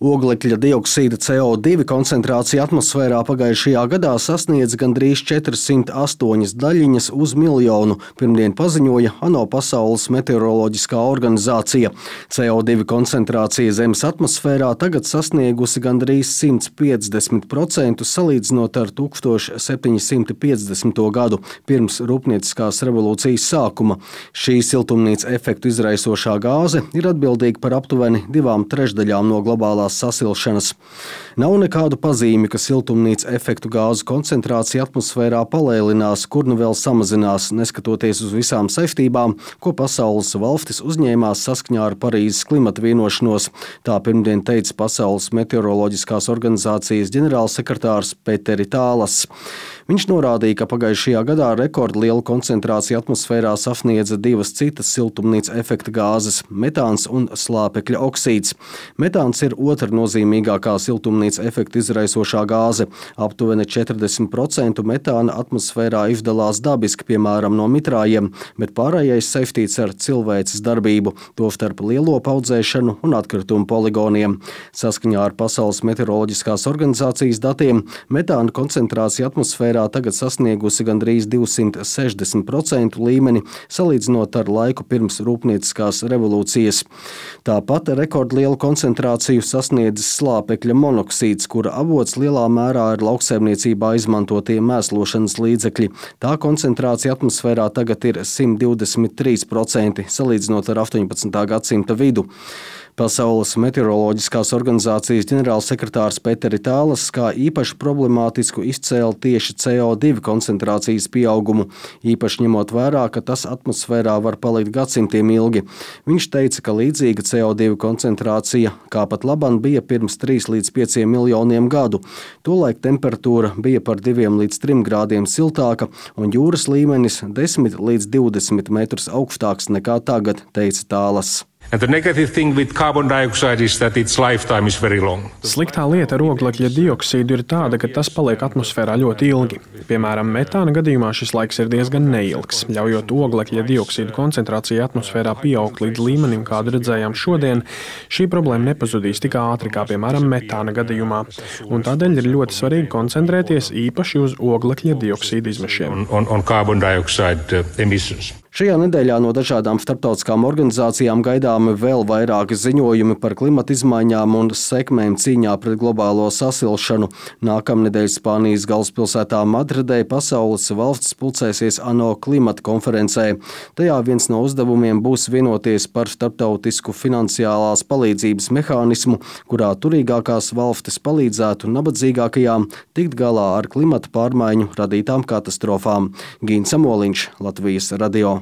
Oglekļa dioksīda CO2 koncentrācija atmosfērā pagājušajā gadā sasniedza gandrīz 408 daļiņas uz miljonu, pirmdien paziņoja ANO Pasaules meteoroloģiskā organizācija. CO2 koncentrācija Zemes atmosfērā tagad sasniegusi gandrīz 150% salīdzinot ar 1750. gadu, pirms Rūpnieciskās revolūcijas sākuma. Šī siltumnīca efektu izraisošā gāze ir atbildīga par aptuveni 2/3 no globālās sasilšanas. Nav nekādu pazīmi, ka siltumnīca efektu gāzu koncentrācija atmosfērā palēlinās, kur nu vēl samazinās, neskatoties uz visām saistībām, ko pasaules valstis uzņēmās saskaņā ar Parīzes klimata vienošanos. Tā pirmdien teica Pasaules meteoroloģiskās organizācijas ģenerālsekretārs Peteri Tālas. Viņš norādīja, ka pagājušajā gadā rekordlielu koncentrāciju atmosfērā sasniedza divas citas siltumnīca efekta gāzes – metāns un slāpekļa oksīds. Metāns ir otra nozīmīgākā siltumnīca efekta izraisošā gāze. Aptuveni 40% metāna atmosfērā izdalās dabiski, piemēram, no mitrājiem, bet pārējais saistīts ar cilvēces darbību, tostarp lielopu audzēšanu un atkritumu poligoniem. Saskaņā ar Pasaules meteoroloģiskās organizācijas datiem metāna koncentrācija atmosfērā tagad sasniegusi gandrīz 260% līmeni, salīdzinot ar laiku pirms Rūpnieciskās revolūcijas. Tāpat rekordlielu koncentrāciju sasniedzis slāpekļa monoksīds, kura avots lielā mērā ir lauksaimniecībā izmantotie mēslošanas līdzekļi. Tā koncentrācija atmosfērā tagad ir 123%, salīdzinot ar 18. gadsimta vidu. Pasaules meteoroloģiskās organizācijas ģenerālsekretārs Peteri Tālas kā īpaši problemātisku izcēla tieši CO2 koncentrācijas pieaugumu, īpaši ņemot vērā, ka tas atmosfērā var palikt gadsimtiem ilgi. Viņš teica, ka līdzīga CO2 koncentrācija, kā pat laban, bija pirms 3 līdz 5 miljoniem gadu. Tolaik temperatūra bija par 2 līdz 3 grādiem siltāka un jūras līmenis 10 līdz 20 metrus augstāks nekā tagad, teica Tālas. Sliktā lieta ar oglekļa dioksīdu ir tāda, ka tas paliek atmosfērā ļoti ilgi. Piemēram, metāna gadījumā šis laiks ir diezgan neilgs. Ļaujot oglekļa dioksīdu koncentrāciju atmosfērā pieaugt līdz līmenim, kādu redzējām šodien, šī problēma nepazudīs tik ātri kā, piemēram, metāna gadījumā. Un tādēļ ir ļoti svarīgi koncentrēties īpaši uz oglekļa dioksīdu izmešiem. Šajā nedēļā no dažādām starptautiskām organizācijām gaidāmi vēl vairāki ziņojumi par klimata izmaiņām un sekmēm cīņā pret globālo sasilšanu. Nākamnedēļ Spānijas galvaspilsētā Madridē pasaules valstis pulcēsies ANO klimata konferencē. Tajā viens no uzdevumiem būs vienoties par starptautisku finansiālās palīdzības mehānismu, kurā turīgākās valstis palīdzētu nabadzīgākajām tikt galā ar klimata pārmaiņu radītām katastrofām. Gīns Samoliņš, Latvijas radio.